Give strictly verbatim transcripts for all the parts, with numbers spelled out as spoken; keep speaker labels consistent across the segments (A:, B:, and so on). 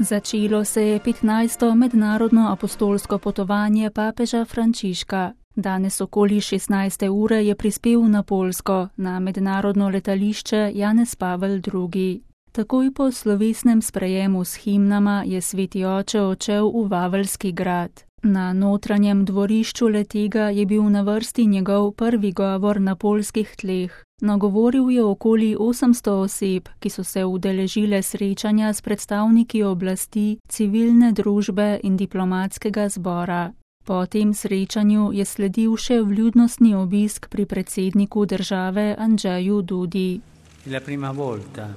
A: Začelo se je petnajsto mednarodno apostolsko potovanje papeža Frančiška. Danes okoli šestnajste ure je prispel na Poljsko, na mednarodno letališče Janez Pavel drugi. Takoj po slovesnem sprejemu s himnama je sveti oče odšel v Vaveljski grad. Na notranjem dvorišču letega je bil na vrsti njegov prvi govor na poljskih tleh. Nagovoril je okoli osemsto oseb, ki so se udeležile srečanja s predstavniki oblasti, civilne družbe in diplomatskega zbora. Po tem srečanju je sledil še vljudnostni obisk pri predsedniku države Andžeju Dudi.
B: La prima volta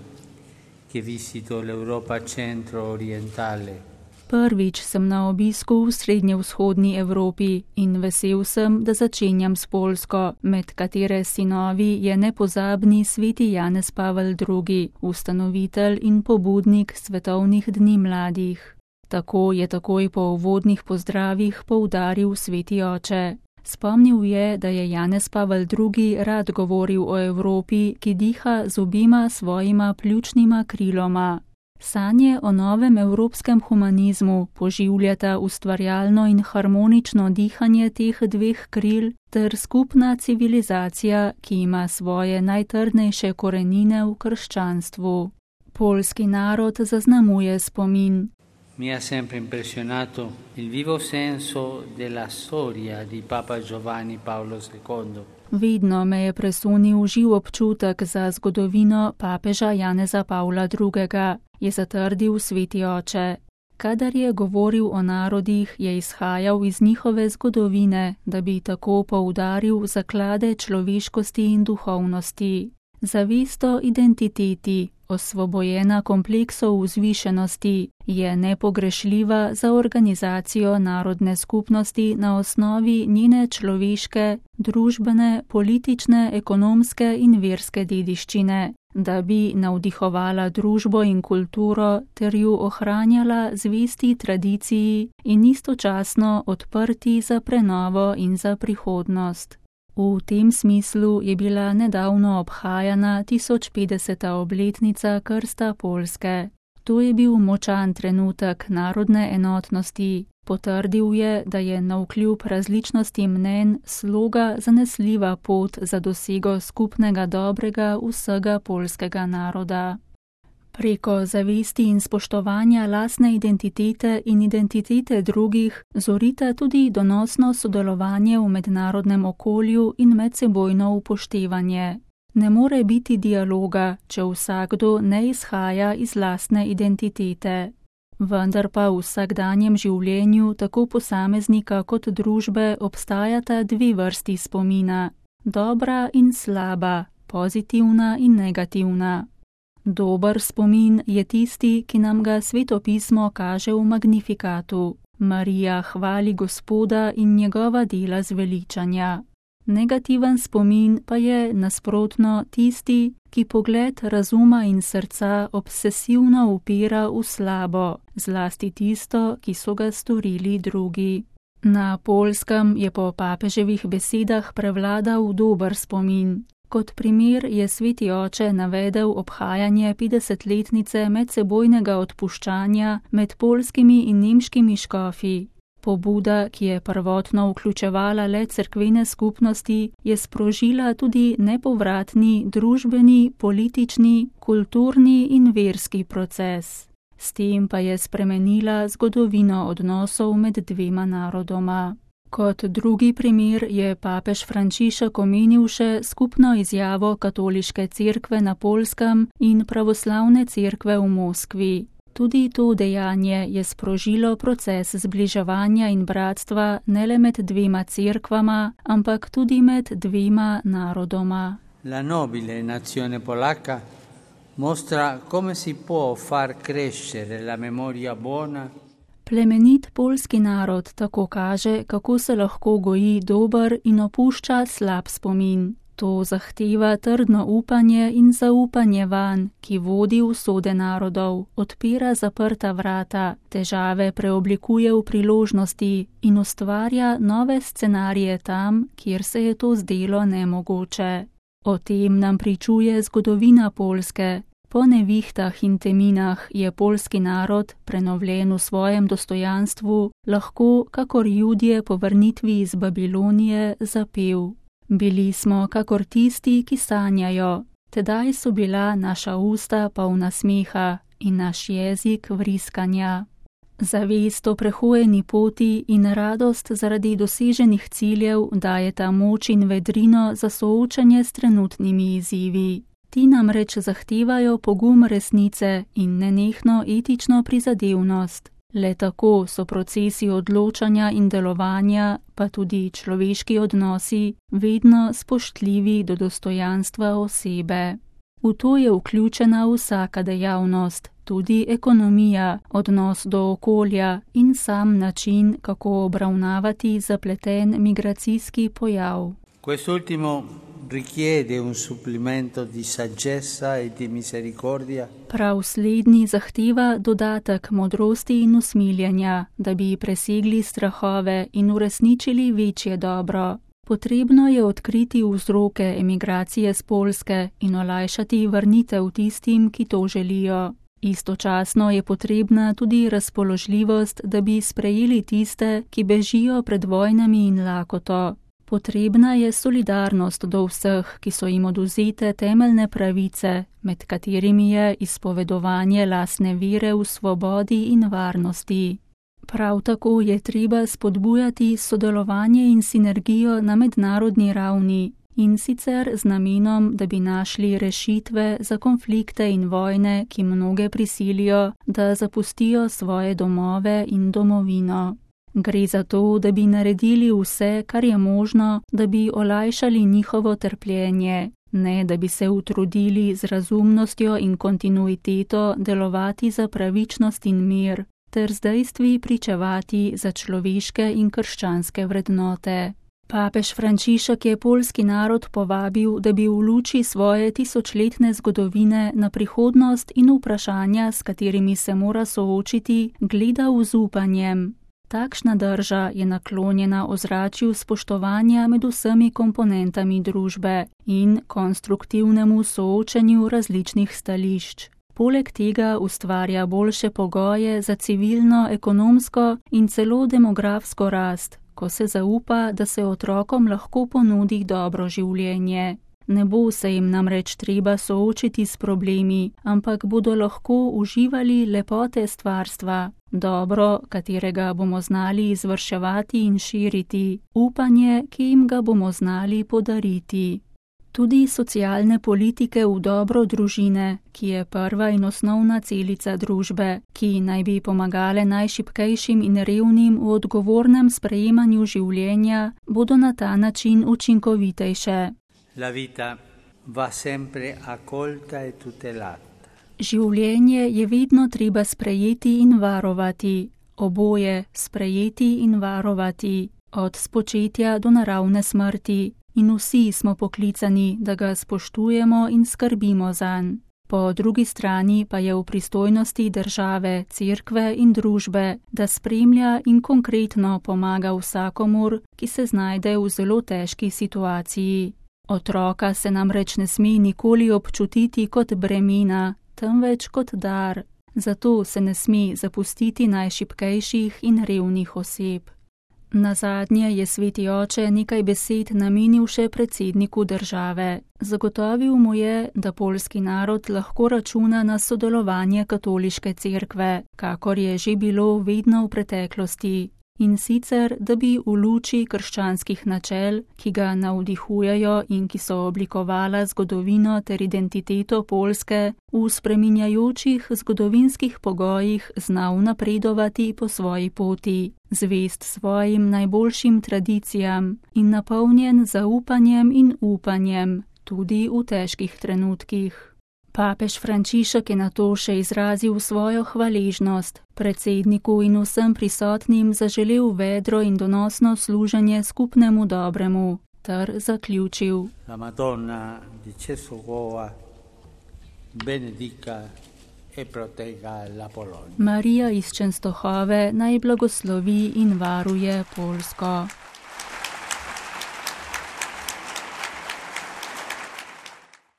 B: che visito l'Europa centro-orientale.
A: Prvič sem na obisku v srednjevzhodni Evropi in vesel sem, da začenjam s Poljsko, med katere sinovi je nepozabni sveti Janez Pavel drugi, ustanovitelj in pobudnik svetovnih dni mladih. Tako je takoj po uvodnih pozdravih poudaril sveti oče. Spomnil je, da je Janez Pavel drugi rad govoril o Evropi, ki diha z obima svojima pljučnima kriloma. Sanje o novem evropskem humanizmu poživljata ustvarjalno in harmonično dihanje teh dveh kril ter skupna civilizacija, ki ima svoje najtrdnejše korenine v krščanstvu. Poljski narod zaznamuje spomin.
B: Mi ha sempre impressionato il vivo senso della storia di Papa Giovanni Paolo secondo.
A: Vedno me je presunil živ občutek za zgodovino papeža Janeza Pavla drugega, je zatrdil sveti oče. Kadar je govoril o narodih, je izhajal iz njihove zgodovine, da bi tako poudaril zaklade človeškosti in duhovnosti. Zavest o identiteti, osvobojena kompleksov vzvišenosti, je nepogrešljiva za organizacijo narodne skupnosti na osnovi njene človeške, družbene, politične, ekonomske in verske dediščine, da bi navdihovala družbo in kulturo ter ju ohranjala zvesti tradiciji in istočasno odprti za prenovo in za prihodnost. V tem smislu je bila nedavno obhajana tisoč petdeseta obletnica krsta Poljske. To je bil močan trenutek narodne enotnosti. Potrdil je, da je navkljub različnosti mnenj sloga zanesljiva pot za dosego skupnega dobrega vsega poljskega naroda. Preko zavesti in spoštovanja lastne identitete in identitete drugih zorita tudi donosno sodelovanje v mednarodnem okolju in medsebojno upoštevanje. Ne more biti dialoga, če vsakdo ne izhaja iz lastne identitete. Vendar pa v vsakdanjem življenju tako posameznika kot družbe obstajata dve vrsti spomina, dobra in slaba, pozitivna in negativna. Dober spomin je tisti, ki nam ga Sveto pismo kaže v Magnifikatu. Marija hvali Gospoda in njegova dela zveličanja. Negativen spomin pa je nasprotno tisti, ki pogled razuma in srca obsesivno upira v slabo, zlasti tisto, ki so ga storili drugi. Na Poljskem je po papeževih besedah prevladal dober spomin. Kot primer je sveti oče navedel obhajanje petdesetletnice medsebojnega odpuščanja med poljskimi in nemškimi škofi. Pobuda, ki je prvotno vključevala le cerkvene skupnosti, je sprožila tudi nepovratni družbeni, politični, kulturni in verski proces. S tem pa je spremenila zgodovino odnosov med dvema narodoma. Kot drugi primer je papež Frančišek omenil še skupno izjavo katoliške cerkve na Poljskem in pravoslavne cerkve v Moskvi. Tudi to dejanje je sprožilo proces zbliževanja in bratstva ne le med dvema cerkvama, ampak tudi med dvema narodoma.
B: La nobile nazione polacca mostra come si può far crescere la memoria buona.
A: Plemenit poljski narod tako kaže, kako se lahko goji dober in opušča slab spomin. To zahteva trdno upanje in zaupanje vanj, ki vodi v usode narodov, odpira zaprta vrata, težave preoblikuje v priložnosti in ustvarja nove scenarije tam, kjer se je to zdelo nemogoče. O tem nam pričuje zgodovina Poljske. Po nevihtah in teminah je poljski narod, prenovljen v svojem dostojanstvu, lahko, kakor Judje po vrnitvi iz Babilonije, zapel. Bili smo kakor tisti, ki sanjajo, tedaj so bila naša usta polna smeha in naš jezik vriskanja. Zavest o prehojeni poti in radost zaradi doseženih ciljev dajeta moč in vedrino za soočanje s trenutnimi izzivi. Ti namreč zahtevajo pogum resnice in nenehno etično prizadevnost. Le tako so procesi odločanja in delovanja, pa tudi človeški odnosi, vedno spoštljivi do dostojanstva osebe. V to je vključena vsaka dejavnost, tudi ekonomija, odnos do okolja in sam način, kako obravnavati zapleten migracijski pojav.
B: Quest'ultimo richiede un supplemento di saggezza e di misericordia.
A: Prav slednji zahteva dodatek modrosti in usmiljenja, da bi presegli strahove in uresničili večje dobro. Potrebno je odkriti vzroke emigracije z Poljske in olajšati vrnitev tistim, ki to želijo. Istočasno je potrebna tudi razpoložljivost, da bi sprejeli tiste, ki bežijo pred vojnami in lakoto. Potrebna je solidarnost do vseh, ki so jim odvzete temeljne pravice, med katerimi je izpovedovanje lastne vere v svobodi in varnosti. Prav tako je treba spodbujati sodelovanje in sinergijo na mednarodni ravni, in sicer z namenom, da bi našli rešitve za konflikte in vojne, ki mnoge prisilijo, da zapustijo svoje domove in domovino. Gre za to, da bi naredili vse, kar je možno, da bi olajšali njihovo trpljenje, ne da bi se utrudili z razumnostjo in kontinuiteto delovati za pravičnost in mir, ter z dejstvi pričevati za človeške in krščanske vrednote. Papež Frančišek je poljski narod povabil, da bi v luči svoje tisočletne zgodovine na prihodnost in vprašanja, s katerimi se mora soočiti, gledal z upanjem. Takšna drža je naklonjena ozračju spoštovanja med vsemi komponentami družbe in konstruktivnemu soočenju različnih stališč. Poleg tega ustvarja boljše pogoje za civilno, ekonomsko in celo demografsko rast, ko se zaupa, da se otrokom lahko ponudi dobro življenje. Ne bo se jim namreč treba soočiti s problemi, ampak bodo lahko uživali lepote stvarstva, dobro, katerega bomo znali izvrševati in širiti, upanje, ki jim ga bomo znali podariti. Tudi socialne politike v dobro družine, ki je prva in osnovna celica družbe, ki naj bi pomagale najšibkejšim in revnim v odgovornem sprejemanju življenja, bodo na ta način učinkovitejše.
B: La vita va sempre accolta e tutelata.
A: Življenje je vedno treba sprejeti in varovati, oboje sprejeti in varovati, od spočetja do naravne smrti, in vsi smo poklicani, da ga spoštujemo in skrbimo zanj. Po drugi strani pa je v pristojnosti države, cerkve in družbe, da spremlja in konkretno pomaga vsakomur, ki se znajde v zelo težki situaciji. Otroka se namreč ne sme nikoli občutiti kot bremena, temveč kot dar, zato se ne sme zapustiti najšibkejših in revnih oseb. Nazadnje je sveti oče nekaj besed namenil še predsedniku države. Zagotovil mu je, da poljski narod lahko računa na sodelovanje katoliške cerkve, kakor je že bilo vedno v preteklosti. In sicer, da bi v luči krščanskih načel, ki ga navdihujejo in ki so oblikovala zgodovino ter identiteto Poljske, v spreminjajočih zgodovinskih pogojih znal napredovati po svoji poti, zvest svojim najboljšim tradicijam in napolnjen zaupanjem in upanjem, tudi v težkih trenutkih. Papež Frančišek je nato še izrazil svojo hvaležnost, predsedniku in vsem prisotnim zaželel vedro in donosno služenje skupnemu dobremu, ter zaključil.
B: La Madonna di Cesarova benedica e protegga la Polonia.
A: Marija iz Čenstohove naj blagoslovi in varuje Poljsko.